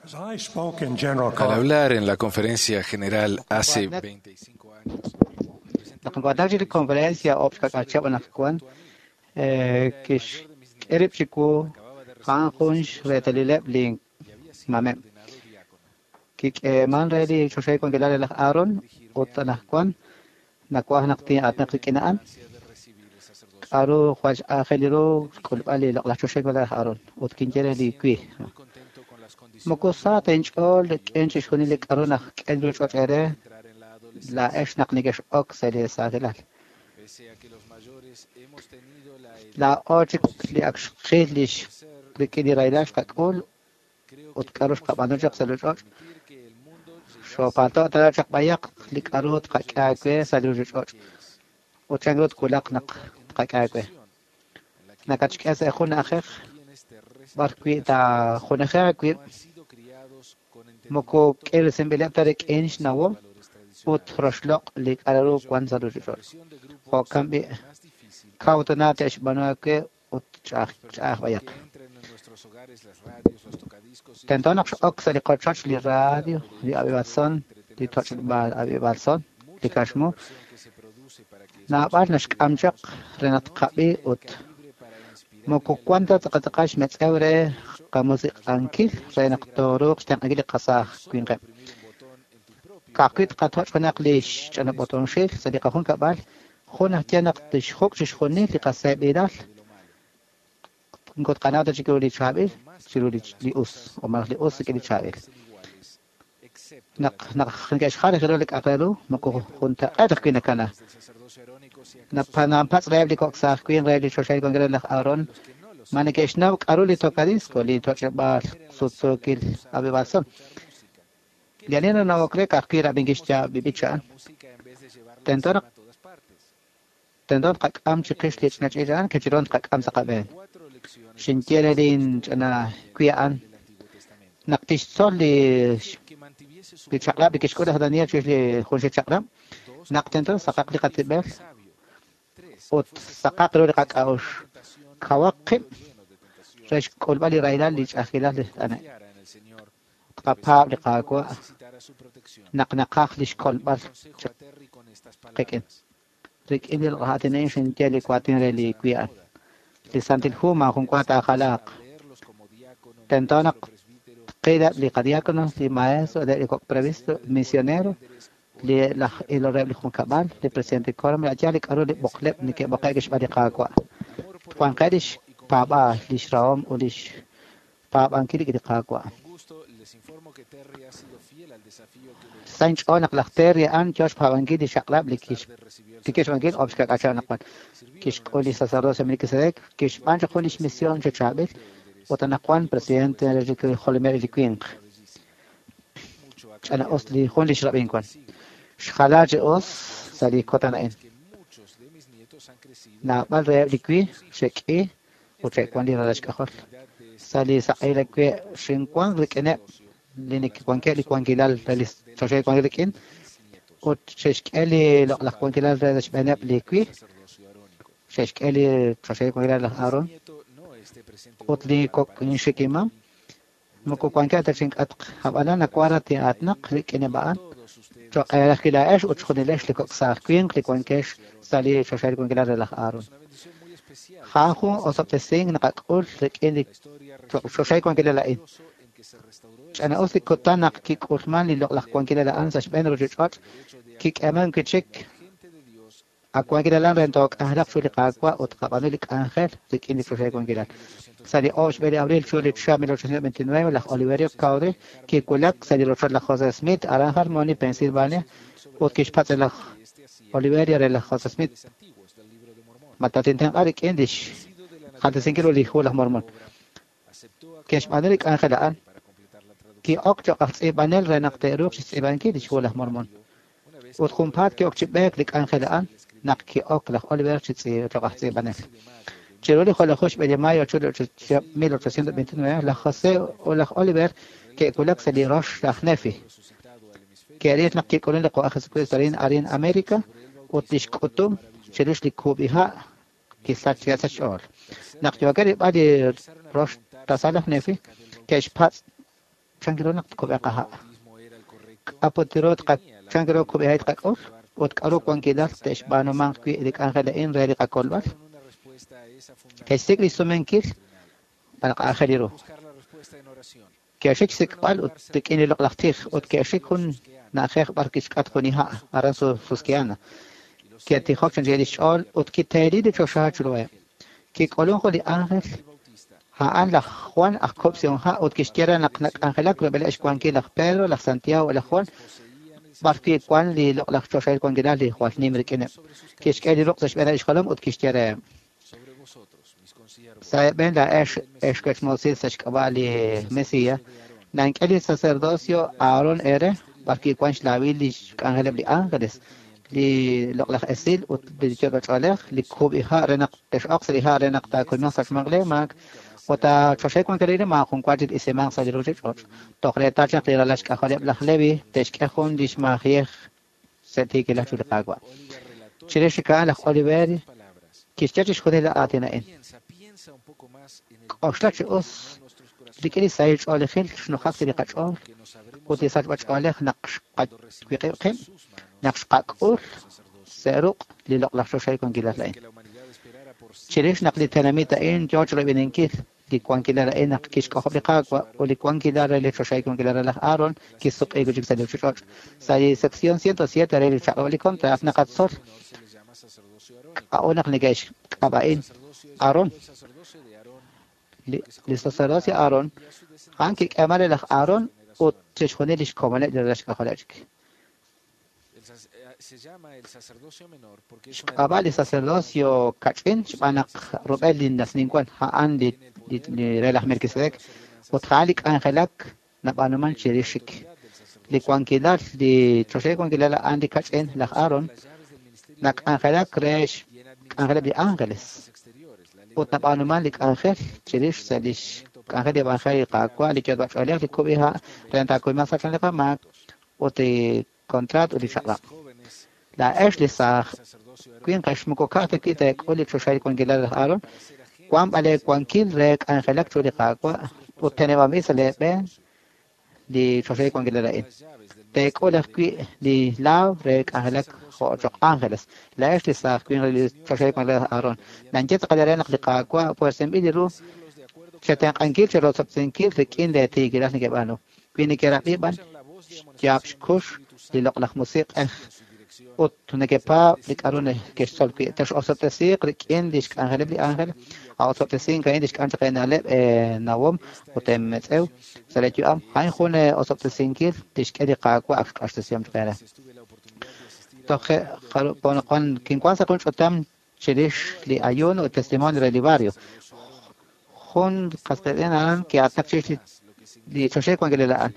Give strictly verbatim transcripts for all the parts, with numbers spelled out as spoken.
As I spoke in general Al hablar en la conferencia general hace veinticinco años, Naq nkuatak chi li conferencia oob xkak'al chihab' anaqwan kixk'e rib' chiwu a'an jun xreetalileb' li mameb'. Kik'eeman re li choxahil wankilal re laj Aaron ut anaqwan nawaj naq tin'aatinaq rik'in a'an. K'a'ru jwal x'aajel ru xk'ulb'al li loq'laj choxahil wankilal laj Aaron ut kinye re li wi. Moko sa ta inch'ool rik'in chixjunil li k'a'ru nak'e li ruchich'och' eere laa'ex naq nekex'ok sa' li saajilal. Laa'o chik li ak xqil lix rik'in li rahilal xqak'ul ut k'a'ru xqab'aanu chaq sa' li ruchich'och'. Xoopalto' tana chaq b'ayaq li k'a'ru tqak'e aawe sa' li ruchich'och' ut chan ru twulaq naq tqak'e aawe. Nakatxk'e sa' jun na'ajej b'ar wi' taajunaji aawib' moko k'eresinb'ileb' ta rik'in xnawom ut roxloq' li k'a'ru wan sa' ruchich'och'. Jo'kan b'i' kaw tana te'xb'aanu aawe ut ch'a'aj ch'a'aj b'ayaq. Tento naq x'ok sa' li qochoch li radio, li ab'ib'al li toch'b'al ab'ib'al son, li kaxmu. Naab'al naxk'am chaq re naq tqab'i ut moko wan ta tz'aqal xmetz'ew re qamusiq'ankil re naq tooruuq xtenq'ankil li qasaaj winqeb'. Ka'ajwi' tqatoch' junaq li xch'anab'otonxil sa' li qajunkab'al, jun aj ye naq tixjuk' chixjunil li qaseeb'ilal moko tqanaw ta chik ru li chaab'il chiru li us o malaj li us rik'in li chaab'il. Naq naq neke'xjal ru li k'a'aq re ru moko juntaq'eet ajwi' nakana. Napanapatz' reheb' li kok' saaj winq re li choxahil wankilal laj Aaron ma neke'xnaw k'a'ru li tocadisco, li toch'eb'aal sutsuukil ab'ib'al son. Li ani nanawok re ka'ajwi' rab'inkil xyaab' li b'ich a'an. Tento naq tento tqak'am chiqix li ch'ina ch'iich' a'an kechiron tqak'am sa' qab'een. Xinye re lin ch'ina wi a'an naq tixtzol li li chaq'rab' li kixk'ul laj Daniel chirix li junxil chaq'rab', naq tento saqaq li qatib'el ut saqaq ru li qak'a'uxl. Kawaq qib' re xk'ulb'al li rahilal li ch'a'ajkilal li t'ane'. Tqapaab' li Qaawa' naq naqaj li xkolb'al qik'in. Rik'in li raatin a'in xinye li waatin re li wi a'an. Li Santil Hu maajun wa taajalaaq. Tento naq tqileb' li qadiáconos, li maestro, li kok' previsto, misionero, li laj ilol reheb' li junkab'al, li presidente quórum, li li k'a'ru li b'oqleb' neke'b'oqe'k xb'aan li Qaawa'. Wanqe' lix paab'aal, lix rahom ut lix paab'ankil li Qaawa'. Sa' inch'ool naq laj Terry a'an yoo xpaab'ankil li xaq'rab' li kix li kixb'ankil oob' xkak'al chihab' anaqwan. Kixk'ul li sacerdocio Melquisedec, kixb'aan chaq jun lix misión chi chaab'il ut anaqwan presidente re li jolomil li winq. Ch'ana us li jun lix rab'in wan. Xjala chi us sa' li kutan a'in. Naab'al reheb' li wi xe'k'i ut xe'wan li ralal xk'ajol. Sa' li saq'ehil wi' xinwan rik'ineb' li neke'wankeb' li wankilal re li choxahil wankil rik'in ut xe'xk'e li loq'laj wankilal re xb'eeneb' li wi xe'xk'e li choxahil wankilal laj Aaron ut li kok' inxikimam moko wankeb' ta chink'atq ab'anan nawaj raj tin'aatinaq rik'ineb' a'an cho'q eeraj laa'ex ut xjunilex li kok' saaj winq li wankex sa' li choxahil wankilal re laj Aaron. A'an jun osob'tesink naqak'ul rik'in li choxahil wankilal a'in. Ch'ana us li kutan naq kik'ulman li loq'laj wankilal a'an sa' xb'een ruchich'och' kik'eeman wi' chik a wankilal a'an re took'anjelaq chiru li Qaawa' ut tqab'aanu li k'anjel rik'in li choxahil wankilal. Sa' li oob' xb'e li abril chiru li chihab' mil ochocientos veintinueve laj Oliverio Cowdery kiwulak sa' li rochoch laj José Smith aran Harmony, Pensilvania, ut kixpatz' re laj Oliverio re laj José Smith ma tatintenq'a rik'in lix jaltesinkil ru li hu laj Mormon. Ke'xb'aanu li k'anjel a'an ki'ok cho'q aj tz'iib'anel re naq te'ruuq chixtz'iib'ankil lix hu laj Mormon. Ut junpaat ki'ok chi b'eek li k'anjel a'an naq ki'ok laj Oliver chi cho'q aj tz'iib'anel. Chiru li jolaju xb'e de mayo chiru mil ochocientos veintinueve laj José ut laj Oliver ke'wulak sa' li rox laj Nefi. Ke'ril naq kik'ulun li Qaawa' Jesucristo arin arin America ut lix k'utum chirix li kub'iha' kisach sa' xch'ool. Naq yookeb' rilb'al li rox tasal laj Nefi, ke'xpatz' Chan ru naq tkub'eeq qaha'? K'a' put ru chan ru kub'iha' tqak'ul ut k'aru wankilal te'xb'aanumanq wi' li k'anjel a'in re li qakolb'al? Ke'xsik' li sumenkil b'an aajel ru. Ke'xik xsik'b'al ut rik'in li loq'laj tij ut ke'xik jun na'ajej b'ar kixk'at jun iha' aran Susquehanna. Ke'tijok chi li xch'ool ut kiteeli li choxa chiruheb'. Kik'ulun jun li ángel a'an laj Juan aj kub'sihom ha' ut kixye re naq nak'anjelak rub'eleb' xwankil laj Pedro, laj Santiago ut laj Juan b'ar wi' wan li loq'laj choxahil wankilal li jwal nim rik'ineb'. Kixk'e li ruq' sa' xb'eeneb' xjolom ut kixye reheb': Sa' eeb'en laa'ex ex wechmoosil sa' xk'ab'a' li Mesías, nank'e li sacerdocio Aarón ere b'ar wi' wan xlaawil li xk'anjeleb' li ángeles, li loq'laj esil ut li yot'och'oolej, li kub'iha' re naq tex'oq sa' li ha' re naq taakuymanq sa' xmaak lee maak ut choxahil wankilal maajun wa chik isimanq sa' li ruuchich'och'. Toj reetal chaq li ralal xk'ajoleb' laj Levi te'xk'e jun li xmaajiyej sa' tiikilal chiru li Qaawa'. Chirix chik a'an laj Oliver kixye chixjunil li aatin a'in. K'oxla chi us rik'in li sahil ch'oolejil xnujak sa' li qach'ool ut li sachb'ach'oolej naq xqawiq'ib' qib', naq xqak'ul sa' ruq' li loq'laj choxahil wankilal a'in. Chirix naq li tenamit a'in yoo chiroyb'eninkil li wankilal a'in naq kixk'ojob' li Qaawa' ut li wankilal re li choxahil wankilal re laj Aaron kisuq'iik chik sa' li ruuchich'och'. Sa' li sección ciento siete re li chaq'rab' li contrat naqatzol k'a'ut naq neke'xk'ab'a'in Aarón. Li sacerdocio Aarón a'an kik'eeman re laj Aarón ut chixjunil li xkomoneb' li ralal xk'ajoleb' chik. Xk'ab'a' li sacerdocio kach'in xb'aan naq rub'el li nasninwan a'an li re laj Melquisedec ut a'an li k'anjelak nab'aanuman chirix xik. Li wankilal, li choxahil wankilal a'an li kach'in laj Aarón nak'anjelak re xk'anjeleb' li ángeles ut nab'aanuman li k'anjel chirix sa' li xk'anjel li evangelio li Qaawa' li yot'b'ach'oolej li kub'iha' re taakuymanq sa' li qamaak ut li contrat ut li chaq'rab'. Laa'ex li saaj winqex moko ka'aj ta wi' teek'ul li choxahil wankilal laj Aarón, wan b'an lee wankil re k'anjelak chiru li Qaawa' ut teneb'anb'il sa' lee b'een li choxahil wankilal a'in. Teek'ul ajwi' li laaw re k'anjelak jo' choq' ángeles. Laa'ex li saaj winq re li choxahil wankilal laj Aarón. Nanye tz'aqal re naq li Qaawa' puersinb'il li ru chetenq'ankil cherosob'tesinkil rik'in lee tiikilal nekeb'aanu. Wi nekerab'i b'an xyaab' xkux li loq'laj musiq'ej ut nekepaab' li k'aru neke'xtzol wi' tex'osob'tesiiq rik'in li xk'anjeleb' li ángel, a'osob'tesink a'in li xk'an chaq eena'leb' eenawom ut eemetz'ew sa' lee yu'am. A'in jun osob'tesinkil tixk'e li Qaawa' ak xq'axtesihom chaq eere. Toje' kinwan sa' jun ch'utam chirix li ayuno ut testimonio re li barrio. Jun qas qiitz'in a'an ki'aatinak chirix li choxahil wankilal a'an.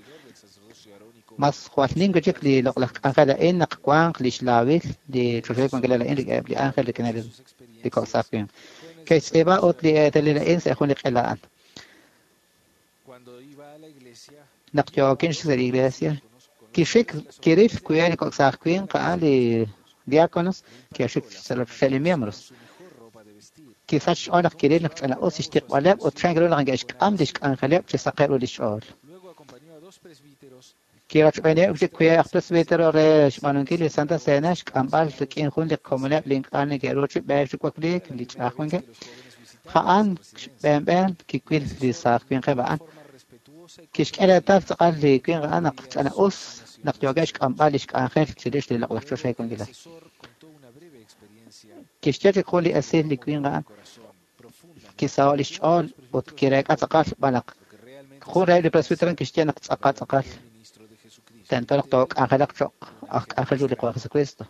Mas jwal nim chik li loq'laj k'anjel a'in naq wanq li xlaawil li choxahil wankilal a'in rik'ineb' li ángel rik'ineb' li kok' saaj winq. Ke'xtz'iib'a ut li eetalil a'in sa' jun li q'ela a'an. Naq yookin sa' li iglesia, kixik kiril wi'eb' li kok' saaj winq a'an li diáconos ke'xik sa' li miembros. Kisach xch'ool naq kiril naq ch'ina'us xtiqb'aleb' ut chan ru naq neke'xk'am li xk'anjeleb' chi saqeb' ru li xch'ool. Kirachb'eeneb' chik wi'eb' aj presbítero re xb'aanunkil li Santa Cena xk'amb'al rik'in jun li komoneb' li ink'a' neke'ru chi b'eek chi wakliik li ch'a'aj wankeb'. A'an xb'eenb'een kiwil li saaj winqeb' a'an. Kixk'e reetal tz'aqal li winq a'an naq ch'ina'us naq yookeb' xk'amb'al li xk'anjel chirix li loq'laj choxahil wankilal. Kixye chik jun li esil li winq a'an kisaho' li xch'ool ut kireek'a tz'aqal xb'aan naq jun reheb' li presbítero kixye naq tz'aqal tz'aqal tento naq took'anjelaq choq' aj k'anjel chiru li Qaawa' Jesucristo.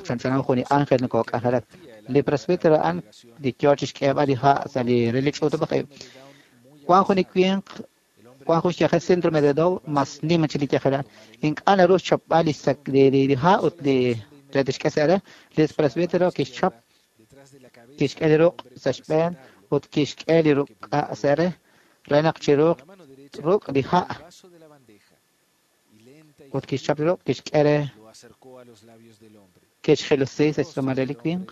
Chanchanaw jun li ángel nokook'anjelak. Li presbítero a'an li yoo chixk'eeb'al li ha' sa' li re li ch'uutub'aj ib'. Wan jun li winq wan jun xyajel síndrome de Down mas nim chi li yajel a'an. Ink'a' naru xchapb'al li li ha' ut li re tixk'e sa' re. Li presbítero kixchap kixk'e li ruq' sa' xb'een ut kixk'e li ruq' sa' re re naq chiruuq ruq' li ha' ut kixchap li ruq' kixk'e re kixjelusi sa' xtz'uumal re li winq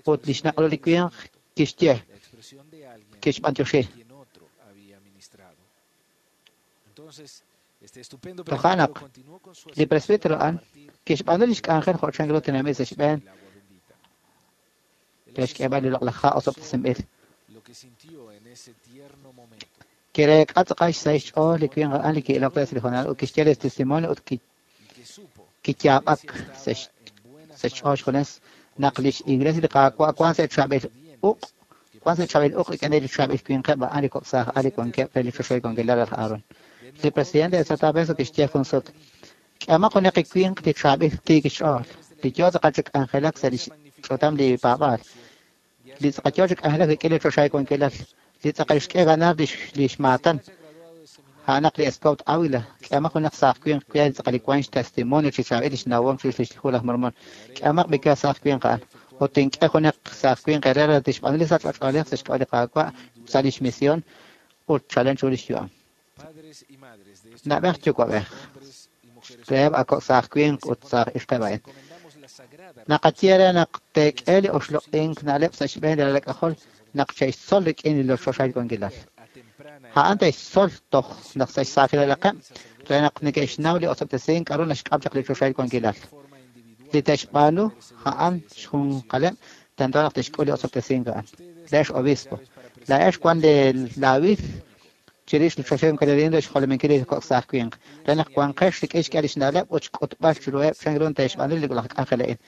ut li xnaq' ru li winq kixye kixb'antioxi. Toja' naq li presbítero a'an kixb'aanu lix k'anjel jo' chanru tenamit sa' xb'een re xk'eeb'al li loq'laj ha' osob'tesinb'il. Kireek'a tz'aqal xsahil xch'ool li winq a'an li ki'ilok re sa' li hoonal ut kixye li testimonio ut kiyaab'ak sa' xch'ool xjunes naq lix iglesia li Qaawa' wan sa' chaab'il uq' wan sa' chaab'il uq' rik'in li chaab'il winqeb' a'an li kok' saaj li wankeb' re li choxahil wankilal laj Aaron. Li presidente de Santa Fe kixye jun sut, k'ehomaq junaq li winq li chaab'il tiik xch'ool, li yoo tz'aqal chi k'anjelak sa' lix ch'utam li paab'aal, li tz'aqal yoo chi k'anjelak rik'in li choxahil wankilal, li tz'aqal xk'e ganar lix lix maatan, a'anaq li Scout Ávila, k'ehomaq junaq saaj winq wi tz'aqal li wan xtestimonio chi chaab'il lix nawom chirix lix hu laj Mormon, k'ehomaq b'ika saaj winq a'an, ut tink'e junaq saaj winq Herrera tixb'aanu li sachb'ach'oolej sa' xk'ab'a' li Qaawa' sa' lix misión ut chalen chu lix yu'am. Na'b'ej yuwa'b'ej, reheb' a kok' saaj winq ut saaj ixqeb' a'in. Naqaye re naq teek'e li oxloq'ink na'leb' sa' xb'een li ralal k'ajol naq che'xtzol rik'in li choxahil wankilal. A'an te'xtzol toj naq sa' xsaajilaqeb' re naq neke'xnaw li osob'tesink k'a'ru naxk'am chaq li choxahil wankilal. Li te'xb'aanu a'an xjunqaleb' tento naq te'xk'ul li osob'tesink a'an. Le'ex obispo. La'ex wan li laawil chirix li choxahil wankilal re xjolominkil li kok' saaj winq. Re naq wanqex rik'in xk'e lix na'leb' ut xk'utb'al chiruheb' chan ru te'xb'aanu li loq'laj k'anjel a'in.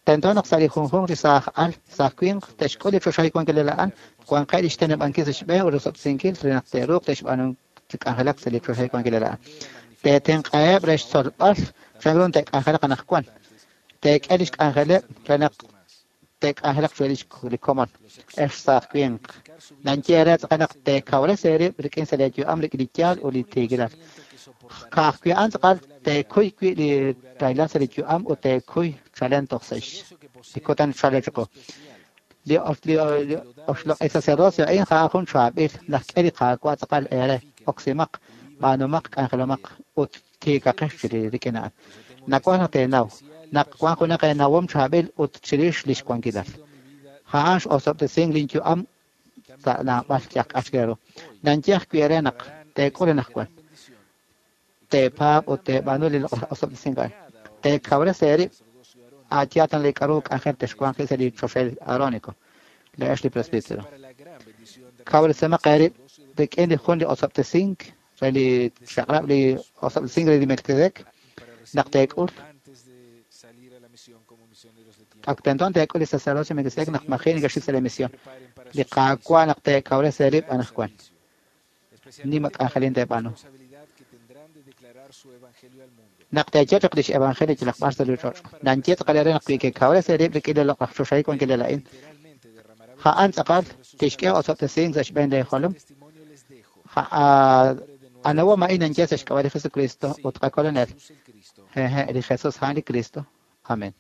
Tento naq sa' li junjunq li saaj al, saaj winq te'xk'ul li choxahil wankilal a'an, wanqeb' lix teneb'ankil sa' xb'een ut rosob'tesinkil re naq te'ruuq te'xb'aanu chi k'anjelak sa' li choxahil wankilal a'an. Teetenq'aheb' re xtzolb'al chan ru te'k'anjelaq anaqwan. Teek'e lix k'anjeleb' re naq te'k'anjelaq chiru lix li komon. Ex saaj winq. Nanye re tz'aqal naq teekawres eerib' rik'in sa' lee yu'am rik'in li yaal ut li tiikilal. Ka'ajwi' a'an tz'aqal teekuy wi' li rahilal sa' li yu'am ut teekuy chalen toj sa' li kutan chalen chiqu. Li li oxloq' sacerdocio a'in a'an jun chaab'il laj k'e li Qaawa' tz'aqal eere oksimaq, b'aanumaq, k'anjelomaq ut tiikaqex chiri rik'in a'an. Nawaj naq teenaw naq wan junaq eenawom chaab'il ut chirix lix wankilal. A'an x'osob'tesink lin yu'am sa' naab'al yaj k'ax ru. Nanye ajwi' re naq teek'ul anaqwan. Teepaab' ut teeb'aanu li loq'laj osob'tesink a'an. Teekawres eerib' aayaatan li k'a'ru k'anjel texwanq sa' li choxahil Aarónico. Le'ex li presbítero. Kawresemaq eerib' rik'in li jun li osob'tesink re li chaq'rab' li osob'tesink re li Melquisedec naq teek'ul. Ak tento teek'ul li sacerdocio Melquisedec naq maji' nekexxik sa' la misión. Li Qaawa' naq teekawres eerib' anaqwan. Nima k'anjelin teeb'aanu. Naq teeye chaq lix evangelio yalaq b'ar sa' li ch'och'. Nanye tz'aqal eere naq wi kekawres eerib' rik'in li loq'laj choxahil wankilal a'in. A'an tz'aqal tixk'e osob'tesink sa' xb'een lee jolom. Anawom a'in nanye sa' xk'ab'a' li Jesucristo ut qakolonel. Jeje, li Jesus a'an li Cristo. Amén.